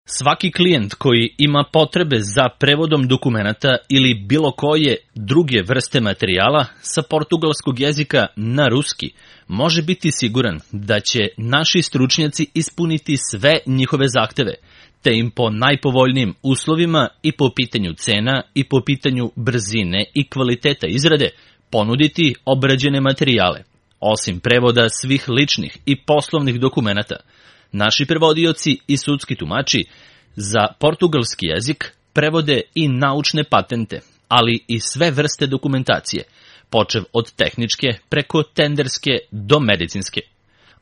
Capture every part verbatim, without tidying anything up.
Svaki klijent koji ima potrebe za prevodom dokumenata ili bilo koje druge vrste materijala sa portugalskog jezika na ruski može biti siguran da će naši stručnjaci ispuniti sve njihove zahteve, te im po najpovoljnijim uslovima i po pitanju cena i po pitanju brzine i kvaliteta izrade ponuditi obrađene materijale. Osim prevoda svih ličnih i poslovnih dokumenata, naši prevodioci i sudski tumači za portugalski jezik prevode i naučne patente, ali i sve vrste dokumentacije, počev od tehničke preko tenderske do medicinske.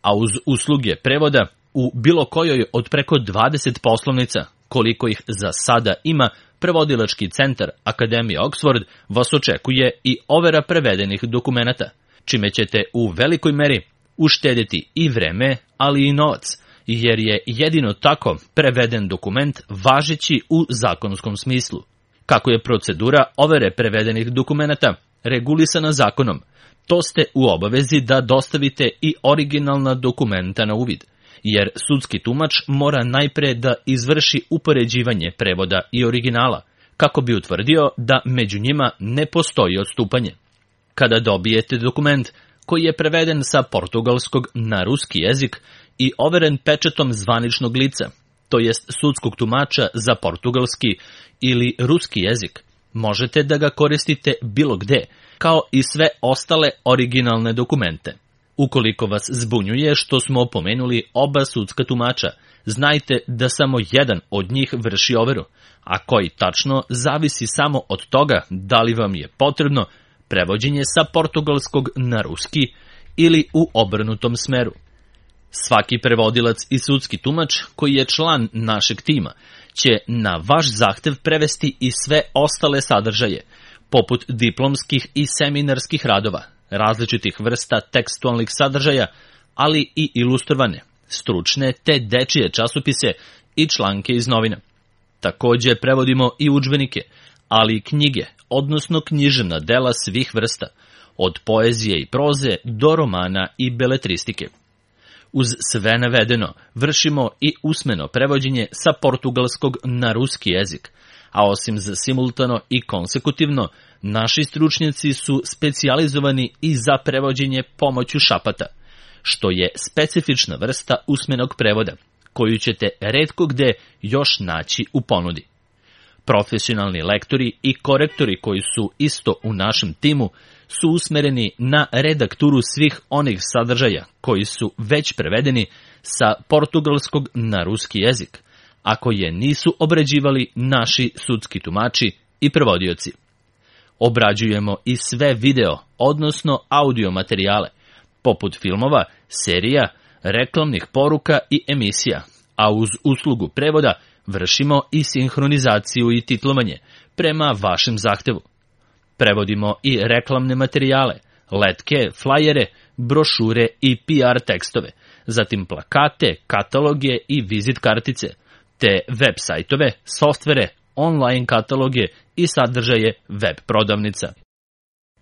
A uz usluge prevoda u bilo kojoj od preko dvadeset poslovnica, koliko ih za sada ima, prevodilački centar Akademije Oxford vas očekuje i overa prevedenih dokumenata, čime ćete u velikoj meri uštediti i vreme, ali i novac, jer je jedino tako preveden dokument važeći u zakonskom smislu. Kako je procedura overe prevedenih dokumenata regulisana zakonom, to ste u obavezi da dostavite i originalna dokumenta na uvid, jer sudski tumač mora najpre da izvrši upoređivanje prevoda i originala, kako bi utvrdio da među njima ne postoji odstupanje. Kada dobijete dokument koji je preveden sa portugalskog na ruski jezik i overen pečatom zvaničnog lica, to jest sudskog tumača za portugalski ili ruski jezik, možete da ga koristite bilo gde, kao i sve ostale originalne dokumente. Ukoliko vas zbunjuje što smo pomenuli oba sudska tumača, znajte da samo jedan od njih vrši overu, a koji tačno zavisi samo od toga da li vam je potrebno prevođenje sa portugalskog na ruski ili u obrnutom smeru. Svaki prevodilac i sudski tumač koji je član našeg tima će na vaš zahtev prevesti i sve ostale sadržaje, poput diplomskih i seminarskih radova, različitih vrsta tekstualnih sadržaja, ali i ilustrovane, stručne te dečije časopise i članke iz novina. Takođe prevodimo i udžbenike, ali i knjige, odnosno književna dela svih vrsta, od poezije i proze do romana i beletristike. Uz sve navedeno vršimo i usmeno prevođenje sa portugalskog na ruski jezik, a osim za simultano i konsekutivno, naši stručnjaci su specijalizovani i za prevođenje pomoću šapata, što je specifična vrsta usmenog prevoda, koju ćete retko gde još naći u ponudi. Profesionalni lektori i korektori koji su isto u našem timu su usmereni na redakturu svih onih sadržaja koji su već prevedeni sa portugalskog na ruski jezik, a koje nisu obrađivali naši sudski tumači i prevodioci. Obrađujemo i sve video, odnosno audio materijale, poput filmova, serija, reklamnih poruka i emisija, a uz uslugu prevoda vršimo i sinhronizaciju i titlovanje prema vašem zahtevu. Prevodimo i reklamne materijale, letke, flajere, brošure i P R tekstove, zatim plakate, kataloge i vizit kartice, te web sajtove, softvere, online kataloge i sadržaje web prodavnica.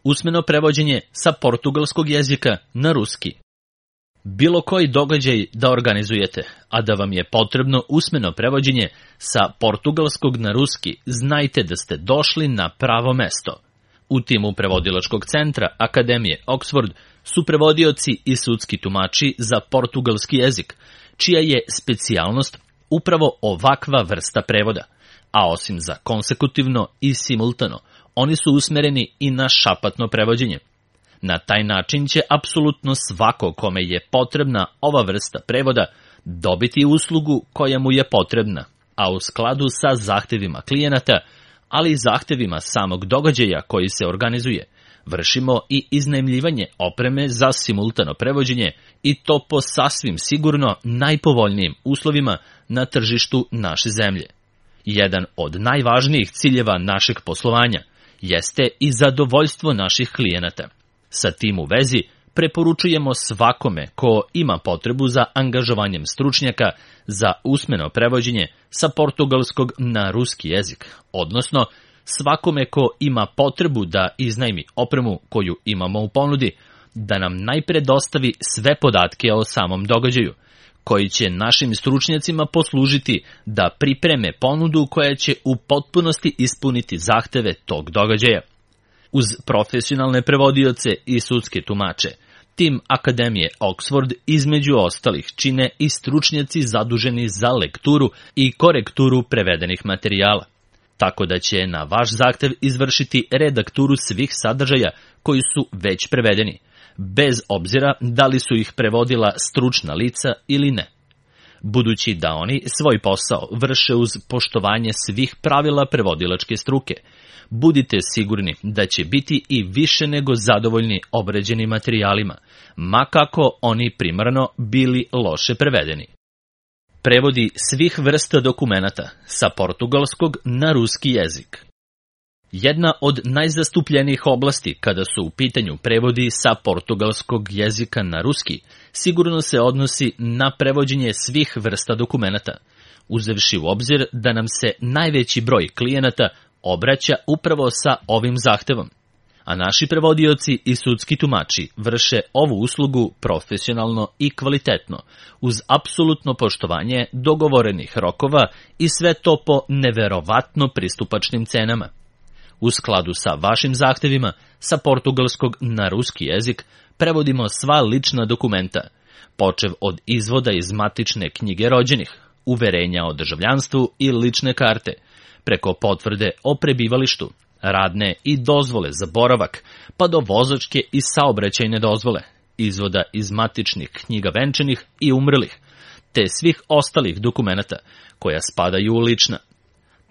Usmeno prevođenje sa portugalskog jezika na ruski. Bilo koji događaj da organizujete, a da vam je potrebno usmeno prevođenje sa portugalskog na ruski, znajte da ste došli na pravo mesto. U timu prevodilačkog centra Akademije Oxford su prevodioci i sudski tumači za portugalski jezik, čija je specijalnost upravo ovakva vrsta prevoda, a osim za konsekutivno i simultano, oni su usmereni i na šapatno prevođenje. Na taj način će apsolutno svako kome je potrebna ova vrsta prevoda dobiti uslugu koja mu je potrebna, a u skladu sa zahtevima klijenata, ali i zahtevima samog događaja koji se organizuje, vršimo i iznajmljivanje opreme za simultano prevođenje i to po sasvim sigurno najpovoljnijim uslovima na tržištu naše zemlje. Jedan od najvažnijih ciljeva našeg poslovanja jeste i zadovoljstvo naših klijenata. Sa tim u vezi preporučujemo svakome ko ima potrebu za angažovanjem stručnjaka za usmeno prevođenje sa portugalskog na ruski jezik, odnosno svakome ko ima potrebu da iznajmi opremu koju imamo u ponudi, da nam najpre dostavi sve podatke o samom događaju, koji će našim stručnjacima poslužiti da pripreme ponudu koja će u potpunosti ispuniti zahteve tog događaja. Uz profesionalne prevodioce i sudske tumače, tim Akademije Oxford između ostalih čine i stručnjaci zaduženi za lekturu i korekturu prevedenih materijala, tako da će na vaš zahtev izvršiti redakturu svih sadržaja koji su već prevedeni, bez obzira da li su ih prevodila stručna lica ili ne. Budući da oni svoj posao vrše uz poštovanje svih pravila prevodilačke struke, budite sigurni da će biti i više nego zadovoljni obrađenim materijalima, ma kako oni primarno bili loše prevedeni. Prevodi svih vrsta dokumenata sa portugalskog na ruski jezik. Jedna od najzastupljenijih oblasti kada su u pitanju prevodi sa portugalskog jezika na ruski sigurno se odnosi na prevođenje svih vrsta dokumenata, uzevši u obzir da nam se najveći broj klijenata obraća upravo sa ovim zahtevom, a naši prevodioci i sudski tumači vrše ovu uslugu profesionalno i kvalitetno, uz apsolutno poštovanje dogovorenih rokova i sve to po neverovatno pristupačnim cenama. U skladu sa vašim zahtevima, sa portugalskog na ruski jezik prevodimo sva lična dokumenta, počev od izvoda iz matične knjige rođenih, uverenja o državljanstvu i lične karte, preko potvrde o prebivalištu, radne i dozvole za boravak, pa do vozačke i saobraćajne dozvole, izvoda iz matičnih knjiga venčanih i umrlih, te svih ostalih dokumenata koja spadaju u lična.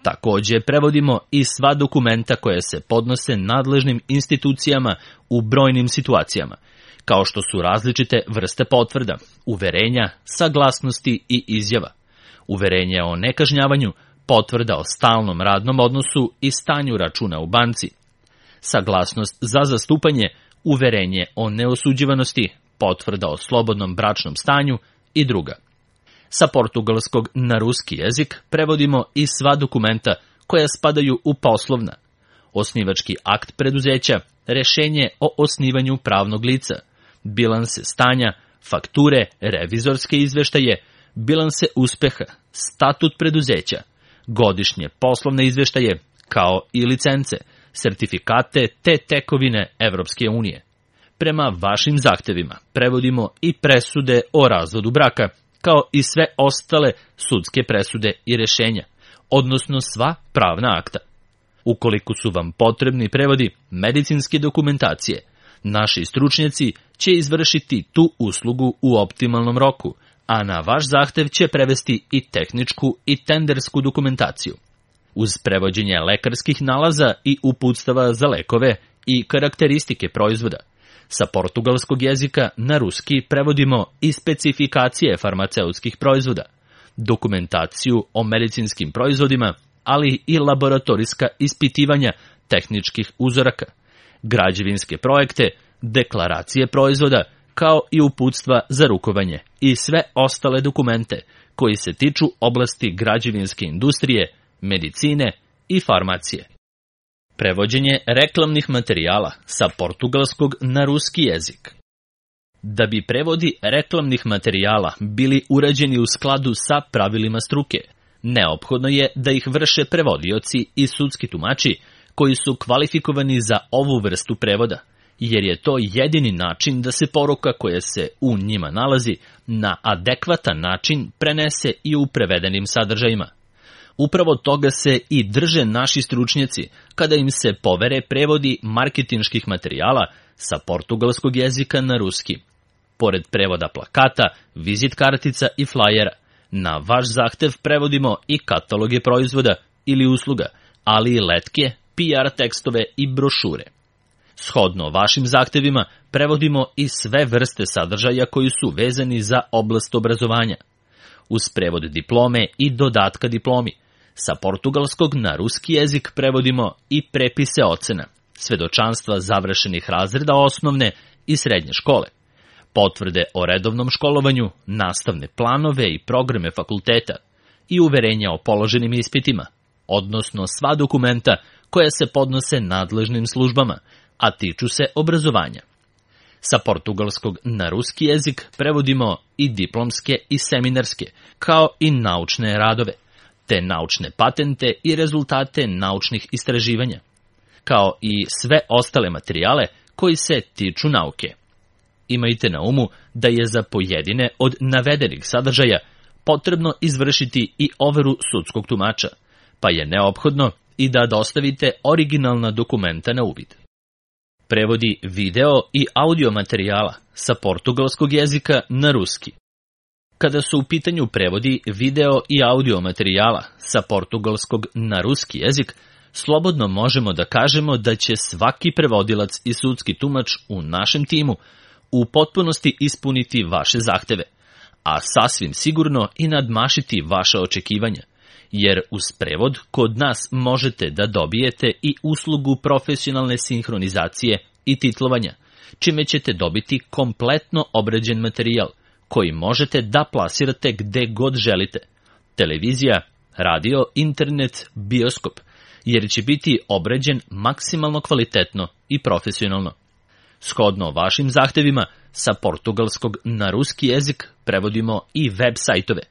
Takođe prevodimo i sva dokumenta koja se podnose nadležnim institucijama u brojnim situacijama, kao što su različite vrste potvrda, uverenja, saglasnosti i izjava, uverenje o nekažnjavanju, potvrda o stalnom radnom odnosu i stanju računa u banci, saglasnost za zastupanje, uverenje o neosuđivanosti, potvrda o slobodnom bračnom stanju i druga. Sa portugalskog na ruski jezik prevodimo i sva dokumenta koja spadaju u poslovna, osnivački akt preduzeća, rešenje o osnivanju pravnog lica, bilanse stanja, fakture, revizorske izveštaje, bilanse uspeha, statut preduzeća, godišnje poslovne izveštaje, kao i licence, sertifikate te tekovine Evropske unije. Prema vašim zahtevima prevodimo i presude o razvodu braka, kao i sve ostale sudske presude i rešenja, odnosno sva pravna akta. Ukoliko su vam potrebni prevodi medicinske dokumentacije, naši stručnjaci će izvršiti tu uslugu u optimalnom roku, a na vaš zahtev će prevesti i tehničku i tendersku dokumentaciju. Uz prevođenje lekarskih nalaza i uputstava za lekove i karakteristike proizvoda, sa portugalskog jezika na ruski prevodimo i specifikacije farmaceutskih proizvoda, dokumentaciju o medicinskim proizvodima, ali i laboratorijska ispitivanja tehničkih uzoraka, građevinske projekte, deklaracije proizvoda, kao i uputstva za rukovanje i sve ostale dokumente koji se tiču oblasti građevinske industrije, medicine i farmacije. Prevođenje reklamnih materijala sa portugalskog na ruski jezik. Da bi prevodi reklamnih materijala bili urađeni u skladu sa pravilima struke, neophodno je da ih vrše prevodioci i sudski tumači koji su kvalifikovani za ovu vrstu prevoda, jer je to jedini način da se poruka koja se u njima nalazi na adekvatan način prenese i u prevedenim sadržajima. Upravo toga se i drže naši stručnjaci kada im se povere prevodi marketinških materijala sa portugalskog jezika na ruski. Pored prevoda plakata, vizit kartica i flajera, na vaš zahtev prevodimo i kataloge proizvoda ili usluga, ali i letke, P R tekstove i brošure. Shodno vašim zahtevima prevodimo i sve vrste sadržaja koji su vezani za oblast obrazovanja. Uz prevod diplome i dodatka diplomi, sa portugalskog na ruski jezik prevodimo i prepise ocena, svedočanstva završenih razreda osnovne i srednje škole, potvrde o redovnom školovanju, nastavne planove i programe fakulteta i uverenja o položenim ispitima, odnosno sva dokumenta koja se podnose nadležnim službama, a tiču se obrazovanja. Sa portugalskog na ruski jezik prevodimo i diplomske i seminarske, kao i naučne radove, te naučne patente i rezultate naučnih istraživanja, kao i sve ostale materijale koji se tiču nauke. Imajte na umu da je za pojedine od navedenih sadržaja potrebno izvršiti i overu sudskog tumača, pa je neophodno i da dostavite originalna dokumenta na uvid. Prevodi video i audio materijala sa portugalskog jezika na ruski. Kada su u pitanju prevodi video i audio materijala sa portugalskog na ruski jezik, slobodno možemo da kažemo da će svaki prevodilac i sudski tumač u našem timu u potpunosti ispuniti vaše zahteve, a sasvim sigurno i nadmašiti vaše očekivanja, jer uz prevod kod nas možete da dobijete i uslugu profesionalne sinhronizacije i titlovanja, čime ćete dobiti kompletno obrađen materijal koji možete da plasirate gde god želite. Televizija, radio, internet, bioskop, jer će biti obrađen maksimalno kvalitetno i profesionalno. Shodno vašim zahtevima, sa portugalskog na ruski jezik prevodimo i web sajtove,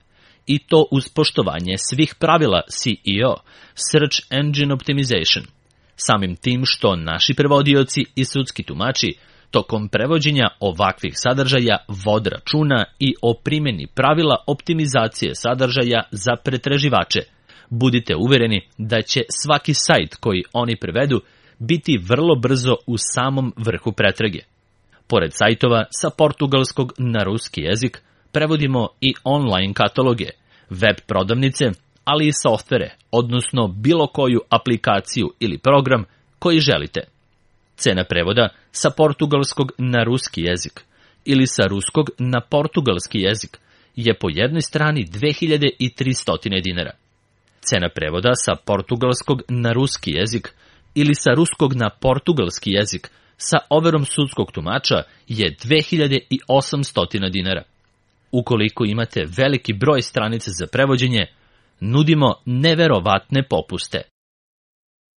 i to uz poštovanje svih pravila C E O, Search Engine Optimization, samim tim što naši prevodioci i sudski tumači tokom prevođenja ovakvih sadržaja vode računa i o primjeni pravila optimizacije sadržaja za pretraživače. Budite uvereni da će svaki sajt koji oni prevedu biti vrlo brzo u samom vrhu pretrage. Pored sajtova sa portugalskog na ruski jezik, prevodimo i online kataloge, web prodavnice, ali i softvere, odnosno bilo koju aplikaciju ili program koji želite. Cena prevoda sa portugalskog na ruski jezik ili sa ruskog na portugalski jezik je po jednoj strani dve hiljade tristo dinara. Cena prevoda sa portugalskog na ruski jezik ili sa ruskog na portugalski jezik sa overom sudskog tumača je dve hiljade osamsto dinara. Ukoliko imate veliki broj stranica za prevođenje, nudimo neverovatne popuste.